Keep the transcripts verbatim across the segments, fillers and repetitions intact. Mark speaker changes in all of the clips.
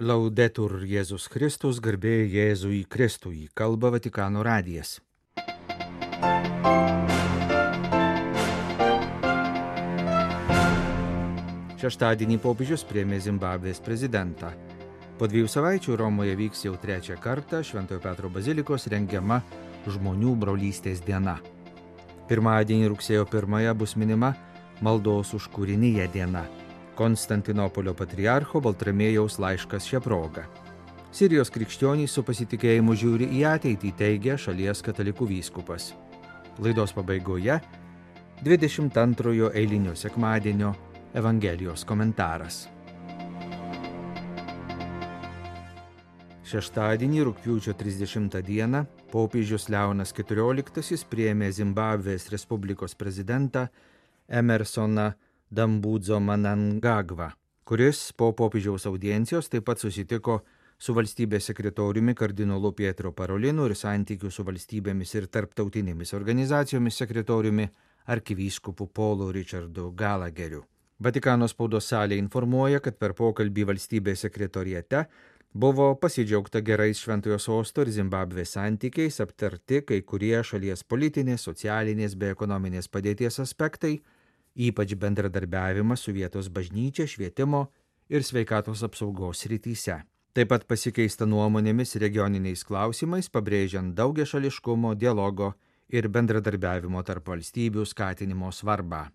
Speaker 1: Laudetur Jėzus Kristus, garbė Jėzui Kristui, kalba Vatikano radijas. Šeštadienį popiežius priėmė Zimbabvės prezidentą. Po dviejų savaičių Romoje vyks jau trečią kartą Šventojo Petro bazilikos rengiama žmonių brolystės diena. Pirmadienį rugsėjo pirmąją bus minima maldos už kūriniją diena. Konstantinopolio patriarcho Baltramiejaus laiškas šią progą. Sirijos krikščionys su pasitikėjimu žiūri į ateitį, teigia šalies katalikų vyskupas. Laidos pabaigoje dvidešimt antrojo eilinio sekmadienio Evangelijos komentaras. Šeštadienį rugpjūčio trisdešimtą dieną popiežius Leonas keturioliktasis priėmė Zimbabvės Respublikos prezidentą Emersoną Dambudzo Mnangagwa, kuris po popiežiaus audiencijos taip pat susitiko su valstybės sekretoriumi kardinolu Pietro Parolinu ir santykių su valstybėmis ir tarptautinėmis organizacijomis sekretoriumi arkivyskupu Paulu Richardu Gallagheriu. Vatikano spaudos salė informuoja, kad per pokalbį valstybės sekretoriate buvo pasidžiaugta gerais Šventojo sosto ir Zimbabvės santykiais, aptarti kai kurie šalies politinės, socialinės bei ekonominės padėties aspektai, ypač bendradarbiavimas su vietos bažnyčia, švietimo ir sveikatos apsaugos srityse. Taip pat pasikeista nuomonėmis regioniniais klausimais, pabrėžiant daugiašališkumo, dialogo ir bendradarbiavimo tarp valstybių skatinimo svarbą.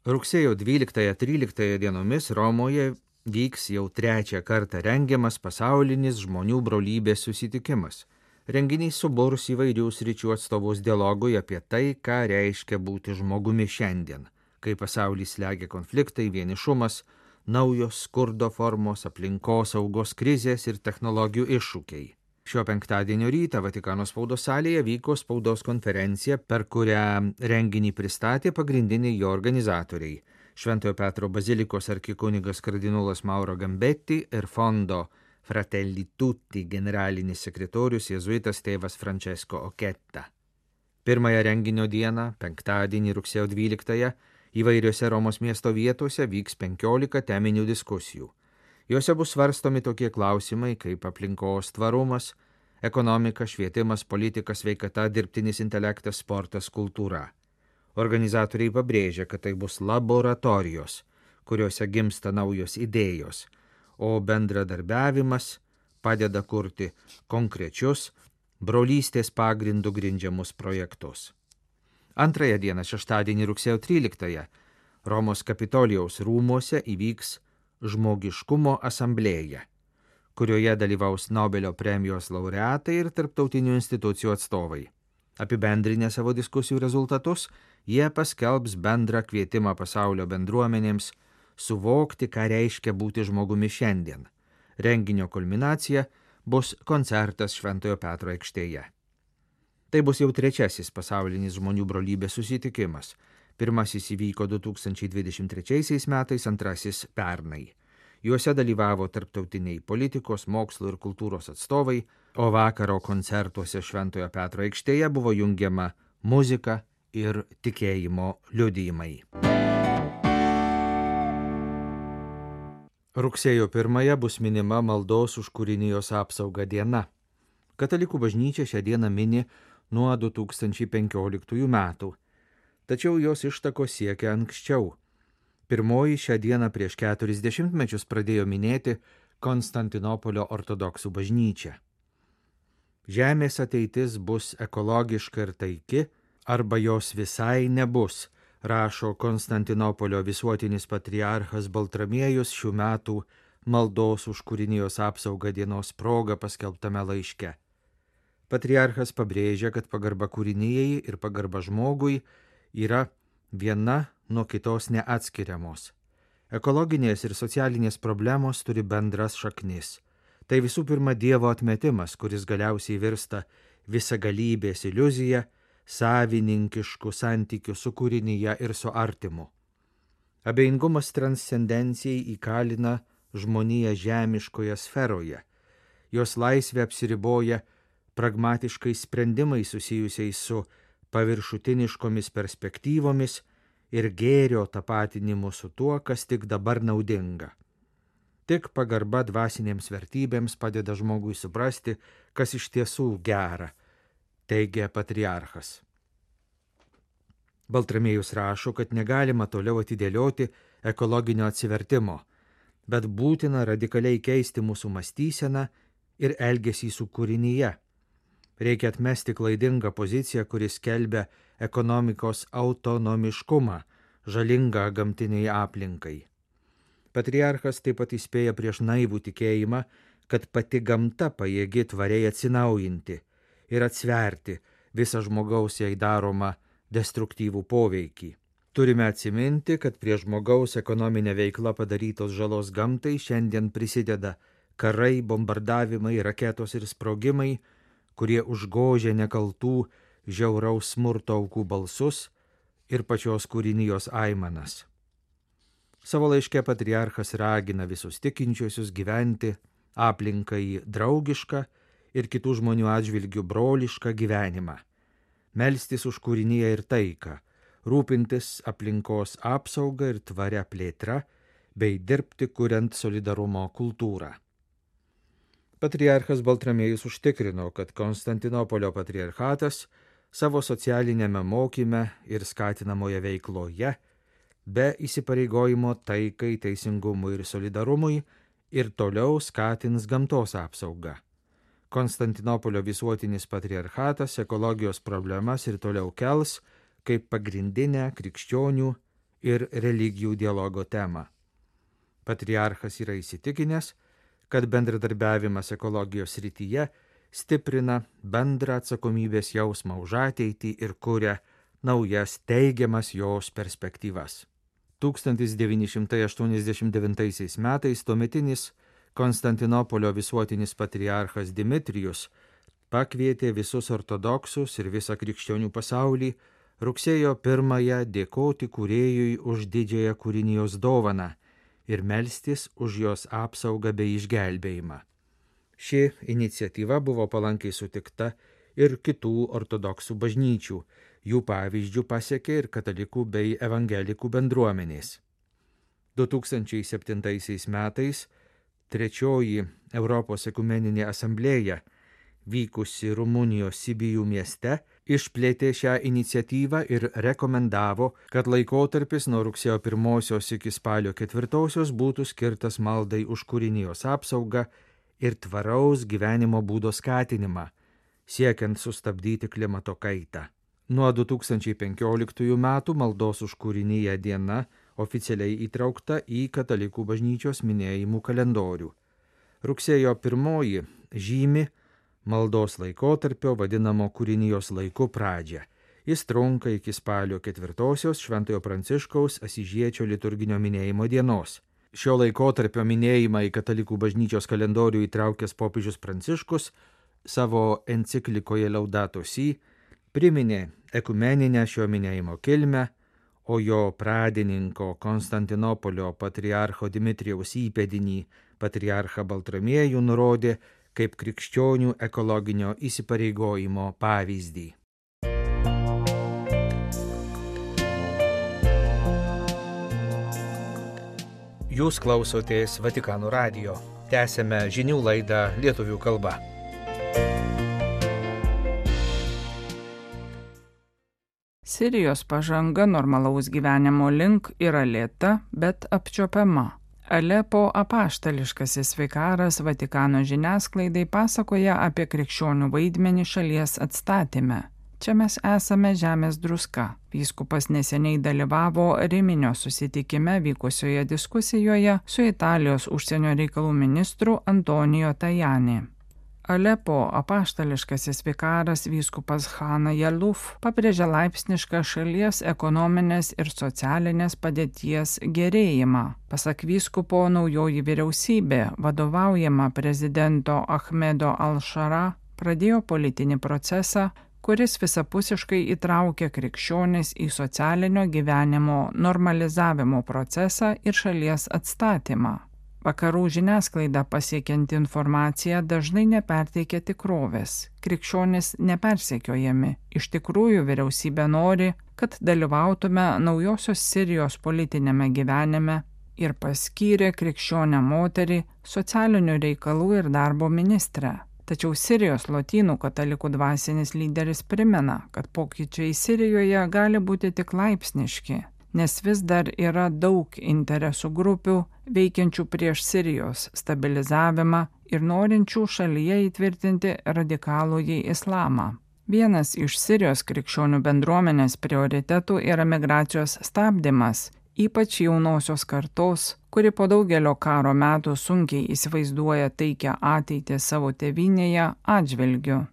Speaker 1: Rugsėjo dvyliktąją tryliktąją dienomis Romoje vyks jau trečią kartą rengiamas pasaulinis žmonių brolybės susitikimas. Renginys suburs įvairių sričių atstovus dialogui apie tai, ką reiškia būti žmogumi šiandien, kai pasaulį slegia konfliktai, vienišumas, naujos skurdo formos, aplinkosaugos krizės ir technologijų iššūkiai. Šio penktadienio rytą Vatikano spaudos salėje vyko spaudos konferencija, per kurią renginį pristatė pagrindiniai jo organizatoriai – Šventojo Petro bazilikos arkikunigas kardinolas Mauro Gambetti ir fondo Fratelli Tutti generalinis sekretorius jėzuitas tėvas Francesco Oketta. Pirmąją renginio dieną, penktadienį rugsėjo dvyliktąją, įvairiose Romos miesto vietose vyks penkiolika teminių diskusijų. Jose bus svarstomi tokie klausimai kaip aplinkos tvarumas, ekonomika, švietimas, politika, sveikata, dirbtinis intelektas, sportas, kultūra. Organizatoriai pabrėžia, kad tai bus laboratorijos, kuriuose gimsta naujos idėjos, o bendradarbiavimas padeda kurti konkrečius brolystės pagrindų grindžiamus projektus. Antrąją dieną, šeštadienį rugsėjo tryliktąją, Romos Kapitolijaus rūmuose įvyks žmogiškumo asamblėja, kurioje dalyvaus Nobelio premijos laureatai ir tarptautinių institucijų atstovai. Apibendrinę savo diskusijų rezultatus, jie paskelbs bendrą kvietimą pasaulio bendruomenėms suvokti, ką reiškia būti žmogumi šiandien. Renginio kulminacija bus koncertas Šventojo Petro aikštėje. Tai bus jau trečiasis pasaulinis žmonių brolybės susitikimas. Pirmasis įvyko du tūkstančiai dvidešimt trečiaisiais metais, antrasis pernai. Juose dalyvavo tarptautiniai politikos, mokslo ir kultūros atstovai, o vakaro koncertuose Šventojo Petro aikštėje buvo jungiama muzika ir tikėjimo liudijimai. Rugsėjo pirmąją bus minima maldos už kūrinijos apsaugą diena. Katalikų bažnyčia šią dieną mini nuo du tūkstančiai penkioliktųjų metų, tačiau jos ištakos siekia anksčiau. Pirmoji šią dieną prieš keturis dešimtmečius pradėjo minėti Konstantinopolio ortodoksų bažnyčia. Žemės ateitis bus ekologiška ir taiki, arba jos visai nebus, rašo Konstantinopolio visuotinis patriarchas Baltramiejus šių metų maldos už kūrinijos apsaugą dienos proga paskelbtame laiške. Patriarchas pabrėžia, kad pagarba kūrinijai ir pagarba žmogui yra viena nuo kitos neatskiriamos. Ekologinės ir socialinės problemos turi bendras šaknis. Tai visų pirma Dievo atmetimas, kuris galiausiai virsta visagalybės iliuzija, savininkiškų santykių su kūrinyje ir su artimu. Abejingumas transcendencijai įkalina žmoniją žemiškoje sferoje. Jos laisvė apsiriboja pragmatiškais sprendimais susijusiais su paviršutiniškomis perspektyvomis ir gėrio tapatinimu su tuo, kas tik dabar naudinga. Tik pagarba dvasinėms vertybėms padeda žmogui suprasti, kas iš tiesų gera, teigia patriarchas. Baltramiejus rašo, kad negalima toliau atidėlioti ekologinio atsivertimo, bet būtina radikaliai keisti mūsų mąstyseną ir elgesį su kūrinyje. Reikia atmesti klaidingą poziciją, kuris skelbia ekonomikos autonomiškumą, žalingą gamtiniai aplinkai. Patriarchas taip pat įspėja prieš naivų tikėjimą, kad pati gamta pajėgi tvariai atsinaujinti ir atsverti visą žmogaus jai daromą destruktyvų poveikį. Turime atsiminti, kad prie žmogaus ekonominė veikla padarytos žalos gamtai šiandien prisideda karai, bombardavimai, raketos ir sprogimai, kurie užgožia nekaltų žiauraus smurto aukų balsus ir pačios kūrinijos aimanas. Savo laiške patriarchas ragina visus tikinčiuosius gyventi aplinkai draugišką ir kitų žmonių atžvilgių brolišką gyvenimą, melstis už kūriniją ir taiką, rūpintis aplinkos apsaugą ir tvaria plėtra, bei dirbti kuriant solidarumo kultūrą. Patriarchas Baltramiejus užtikrino, kad Konstantinopolio patriarchatas savo socialinėme mokyme ir skatinamoje veikloje, be įsipareigojimo taikai, teisingumui ir solidarumui, ir toliau skatins gamtos apsaugą. Konstantinopolio visuotinis patriarchatas ekologijos problemas ir toliau kels kaip pagrindinę krikščionių ir religijų dialogo temą. Patriarchas yra įsitikinęs, kad bendradarbiavimas ekologijos srityje stiprina bendrą atsakomybės jausmą už ateitį ir kuria naujas teigiamas jos perspektyvas. tūkstantis devyni šimtai aštuoniasdešimt devintaisiais metais tuometinis Konstantinopolio visuotinis patriarchas Dimitrijus pakvietė visus ortodoksus ir visą krikščionių pasaulį rugsėjo pirmąją dėkoti kūrėjui už didžiąją kūrinijos dovaną ir melstis už jos apsaugą bei išgelbėjimą. Ši iniciatyva buvo palankiai sutikta ir kitų ortodoksų bažnyčių, jų pavyzdžių pasiekė ir katalikų bei evangelikų bendruomenės. du tūkstančiai septintaisiais metais Trečioji Europos ekumeninė asamblėja, vykusi Rumunijos Sibijų mieste, išplėtė šią iniciatyvą ir rekomendavo, kad laikotarpis nuo rugsėjo pirmosios iki spalio ketvirtosios būtų skirtas maldai už kūrinijos apsaugą ir tvaraus gyvenimo būdo skatinimą, siekiant sustabdyti klimato kaitą. Nuo du tūkstančiai penkioliktųjų metų maldos už kūriniją diena oficialiai įtraukta į katalikų bažnyčios minėjimų kalendorių. Rugsėjo pirmoji žymi maldos laikotarpio vadinamo kūrinijos laiku pradžią. Jis trunka iki spalio ketvirtosios Šventojo Pranciškaus Asyžiečio liturginio minėjimo dienos. Šio laikotarpio minėjimą į katalikų bažnyčios kalendorių įtraukęs popiežius Pranciškus savo enciklikoje Laudato Si priminė ekumeninę šio minėjimo kilmę, o jo pradininko Konstantinopolio patriarcho Dimitrijaus įpėdinį patriarchą Baltramiejų nurodė kaip krikščionių ekologinio įsipareigojimo pavyzdį. Jūs klausotės Vatikano radijo. Tęsėme žinių laidą lietuvių kalba.
Speaker 2: Sirijos pažanga normalaus gyvenimo link yra lėta, bet apčiuopiama. Alepo apaštališkasis vikaras Vatikano žiniasklaidai pasakoja apie krikščionių vaidmenį šalies atstatyme. Čia mes esame žemės druska. Vyskupas neseniai dalyvavo Riminio susitikime vykusioje diskusijoje su Italijos užsienio reikalų ministru Antonijo Tajani. Alepo apaštališkasis vikaras vyskupas Hana Jaluf pabrėžia laipsnišką šalies ekonominės ir socialinės padėties gerėjimą. Pasak vyskupo, naujoji vyriausybė, vadovaujama prezidento Ahmedo Al-Shara, pradėjo politinį procesą, kuris visapusiškai įtraukia krikščionis į socialinio gyvenimo normalizavimo procesą ir šalies atstatymą. Vakarų žiniasklaida pasiekianti informacija dažnai neperteikia tikrovės. Krikščionys nepersekiojami. Iš tikrųjų vyriausybė nori, kad dalyvautume naujosios Sirijos politinėme gyvenime ir paskyrė krikščionę moterį socialinių reikalų ir darbo ministrę. Tačiau Sirijos lotynų katalikų dvasinis lyderis primena, kad pokyčiai Sirijoje gali būti tik laipsniški, nes vis dar yra daug interesų grupių veikiančių prieš Sirijos stabilizavimą ir norinčių šalyje įtvirtinti radikalųjį islamą. Vienas iš Sirijos krikščionių bendruomenės prioritetų yra migracijos stabdymas, ypač jaunosios kartos, kuri po daugelio karo metų sunkiai įsivaizduoja taikią ateitį savo tėvynėje atžvilgiu.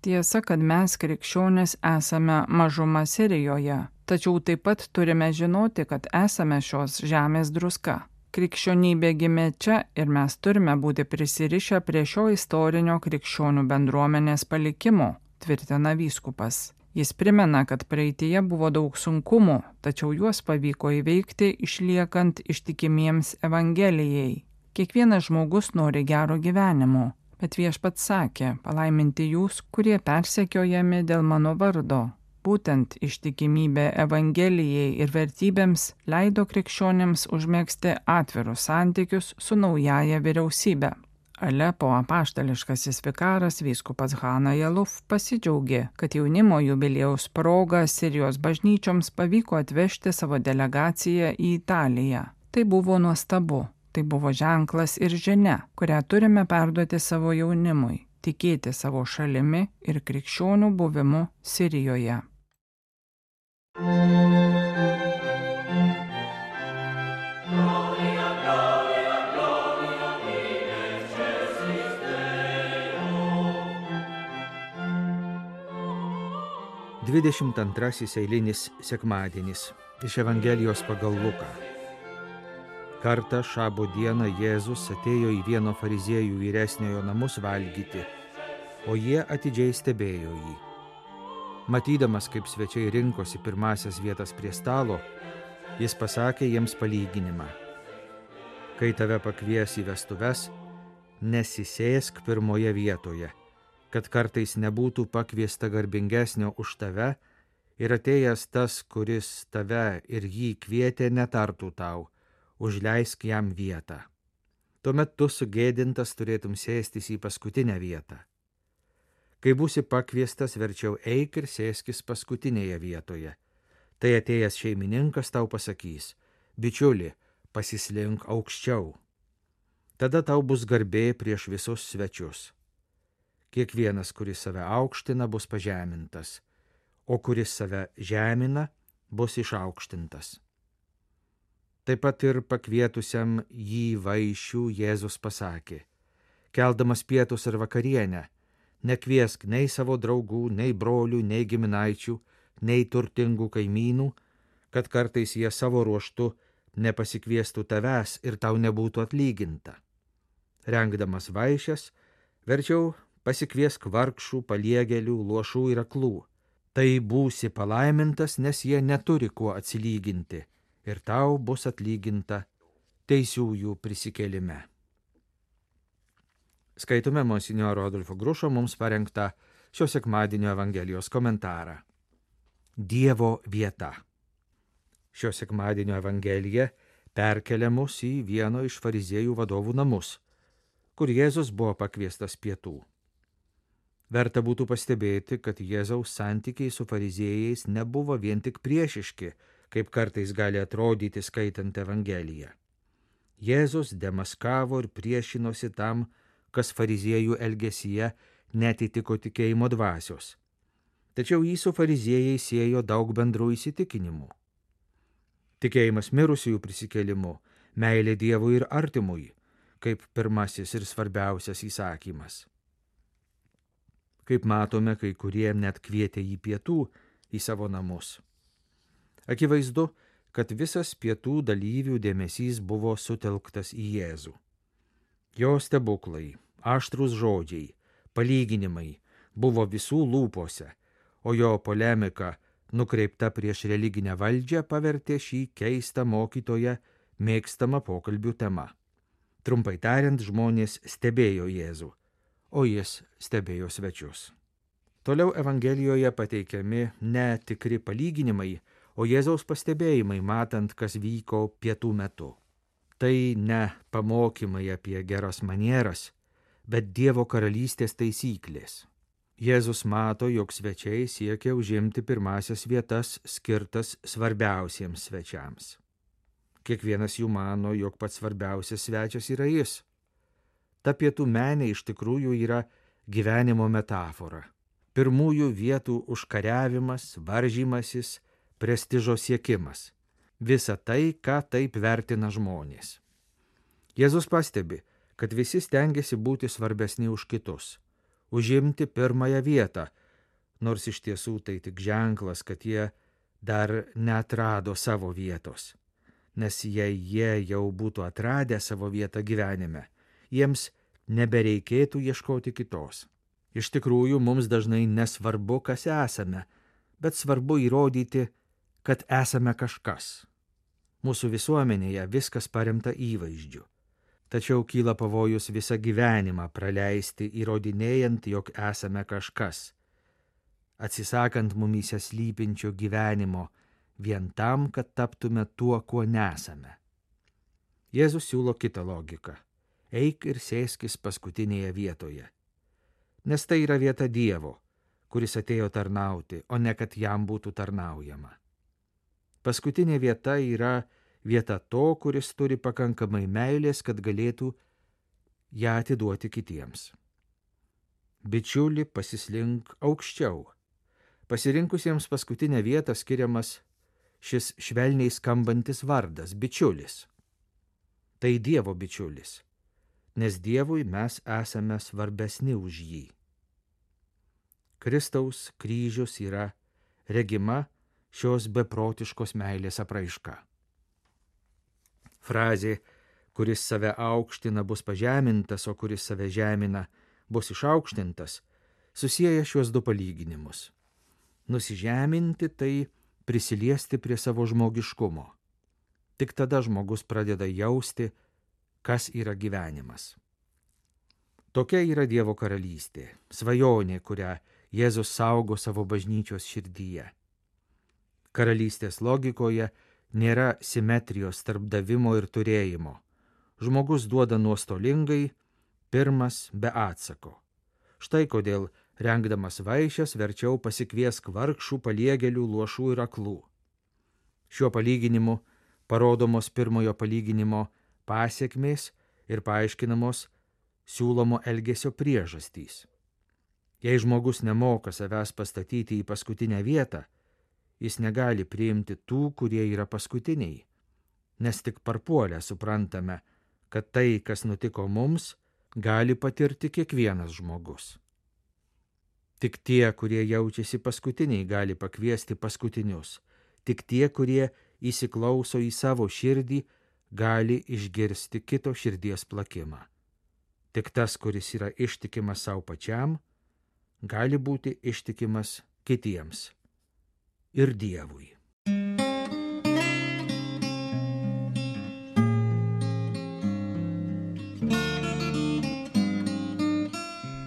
Speaker 2: Tiesa, kad mes krikščionys esame mažuma Sirijoje, tačiau taip pat turime žinoti, kad esame šios žemės druska. Krikščionybė gimė čia ir mes turime būti prisirišę prie šio istorinio krikščionių bendruomenės palikimo, tvirtina vyskupas. Jis primena, kad praeityje buvo daug sunkumų, tačiau juos pavyko įveikti išliekant ištikimiems Evangelijai. Kiekvienas žmogus nori gero gyvenimo, bet Viešpats sakė, palaiminti jūs, kurie persekiojami dėl mano vardo. Būtent ištikimybė Evangelijai ir vertybėms leido krikščionėms užmegzti atvirus santykius su naujaja vyriausybė. Alepo apaštališkasis vikaras vyskupas Hana Jaluf pasidžiaugė, kad jaunimo jubiliejaus proga Sirijos bažnyčioms pavyko atvežti savo delegaciją į Italiją. Tai buvo nuostabu, tai buvo ženklas ir žinia, kurią turime perduoti savo jaunimui, tikėti savo šalimi ir krikščionių buvimu Sirijoje.
Speaker 1: Dvidešimt antrasis eilinis sekmadienis iš Evangelijos pagal Luką. Kartą šabo dieną Jėzus atėjo į vieno fariziejų vyresniojo namus valgyti, o jie atidžiai stebėjo jį. Matydamas, kaip svečiai rinkosi pirmasias vietas prie stalo, jis pasakė jiems palyginimą. Kai tave pakvies į vestuves, nesisėsk pirmoje vietoje, kad kartais nebūtų pakviesta garbingesnio už tave ir atėjęs tas, kuris tave ir jį kvietė, netartų tau, užleisk jam vietą. Tuomet tu sugėdintas turėtum sėstis į paskutinę vietą. Kai būsi pakviestas, verčiau eik ir sėskis paskutinėje vietoje. Tai atėjęs šeimininkas tau pasakys, bičiuli, pasislink aukščiau. Tada tau bus garbė prieš visus svečius. Kiekvienas, kuris save aukština, bus pažemintas, o kuris save žemina, bus išaukštintas. Taip pat ir pakvietusiam jį vaišių Jėzus pasakė, keldamas pietus ir vakarienę, nekviesk nei savo draugų, nei brolių, nei giminaičių, nei turtingų kaimynų, kad kartais jie savo ruožtu nepasikviestų tavęs ir tau nebūtų atlyginta. Rengdamas vaišes, verčiau pasikviesk vargšų, paliegėlių, luošų ir aklų. Tai būsi palaimintas, nes jie neturi kuo atsilyginti, ir tau bus atlyginta teisiųjų prisikėlime. Skaitome monsinjoro Adolfo Grušo mums parengtą šio sekmadienio Evangelijos komentarą. Dievo vieta. Šio sekmadienio Evangelija perkelia mus į vieno iš fariziejų vadovų namus, kur Jėzus buvo pakviestas pietų. Verta būtų pastebėti, kad Jėzaus santykiai su fariziejais nebuvo vien tik priešiški, kaip kartais gali atrodyti skaitant Evangeliją. Jėzus demaskavo ir priešinosi tam, kas fariziejų elgesyje netitiko tikėjimo dvasios. Tačiau jį su fariziejai siejo daug bendrų įsitikinimų. Tikėjimas mirusiųjų prisikėlimu, meilė Dievui ir artimui, kaip pirmasis ir svarbiausias įsakymas. Kaip matome, kai kurie net kvietė jį pietų į savo namus. Akivaizdu, kad visas pietų dalyvių dėmesys buvo sutelktas į Jėzų. Jo stebuklai, aštrūs žodžiai, palyginimai buvo visų lūpose, o jo polemika, nukreipta prieš religinę valdžią, pavertė šį keistą mokytoją mėgstamą pokalbių tema. Trumpai tariant, žmonės stebėjo Jėzų, o jis stebėjo svečius. Toliau Evangelijoje pateikiami ne tikri palyginimai, o Jėzaus pastebėjimai, matant, kas vyko pietų metu. Tai ne pamokymai apie geras manieras, bet Dievo karalystės taisyklės. Jėzus mato, jog svečiai siekia užimti pirmasias vietas skirtas svarbiausiems svečiams. Kiekvienas jų mano, jog pats svarbiausias svečias yra jis. Ta pietų menė iš tikrųjų yra gyvenimo metafora. Pirmųjų vietų užkariavimas, varžymasis, prestižo siekimas. Visa tai, ką taip vertina žmonės. Jėzus pastebi, kad visi stengiasi būti svarbesni už kitus, užimti pirmąją vietą, nors iš tiesų tai tik ženklas, kad jie dar neatrado savo vietos. Nes jei jie jau būtų atradę savo vietą gyvenime, jiems nebereikėtų ieškoti kitos. Iš tikrųjų, mums dažnai nesvarbu, kas esame, bet svarbu įrodyti, kad esame kažkas. Mūsų visuomenėje viskas paremta įvaizdžiu. Tačiau kyla pavojus visą gyvenimą praleisti įrodinėjant, jog esame kažkas, atsisakant mumyse slypinčio gyvenimo vien tam, kad taptume tuo, kuo nesame. Jėzus siūlo kitą logiką. Eik ir sėskis paskutinėje vietoje. Nes tai yra vieta Dievo, kuris atėjo tarnauti, o ne kad jam būtų tarnaujama. Paskutinė vieta yra vieta to, kuris turi pakankamai meilės, kad galėtų ją atiduoti kitiems. Bičiuli, pasislink aukščiau. Pasirinkusiems paskutinę vietą skiriamas šis švelniai skambantis vardas – bičiulis. Tai Dievo bičiulis, nes Dievui mes esame svarbesni už jį. Kristaus kryžius yra regima šios beprotiškos meilės apraiška. Frazė, kuris save aukština, bus pažemintas, o kuris save žemina, bus išaukštintas, susieja šiuos du palyginimus. Nusižeminti tai prisiliesti prie savo žmogiškumo. Tik tada žmogus pradeda jausti, kas yra gyvenimas. Tokia yra Dievo karalystė, svajonė, kurią Jėzus saugo savo bažnyčios širdyje. Karalystės logikoje nėra simetrijos tarp davimo ir turėjimo. Žmogus duoda nuostolingai, pirmas be atsako. Štai kodėl, rengdamas vaišes, verčiau pasikviesk vargšų, paliegėlių, luošų ir aklų. Šiuo palyginimu parodomos pirmojo palyginimo pasekmės ir paaiškinamos siūlomo elgesio priežastys. Jei žmogus nemoka savęs pastatyti į paskutinę vietą, jis negali priimti tų, kurie yra paskutiniai, nes tik parpuolę suprantame, kad tai, kas nutiko mums, gali patirti kiekvienas žmogus. Tik tie, kurie jaučiasi paskutiniai, gali pakviesti paskutinius. Tik tie, kurie įsiklauso į savo širdį, gali išgirsti kito širdies plakimą. Tik tas, kuris yra ištikimas savo pačiam, gali būti ištikimas kitiems ir Dievui.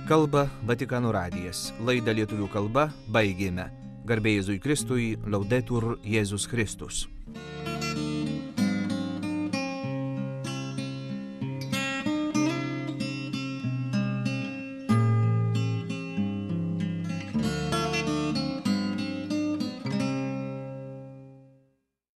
Speaker 1: Kalba Vatikano radijas. Laidą lietuvių kalba baigėme. Garbė Jėzui Kristui, Laudetur Jėzus Kristus.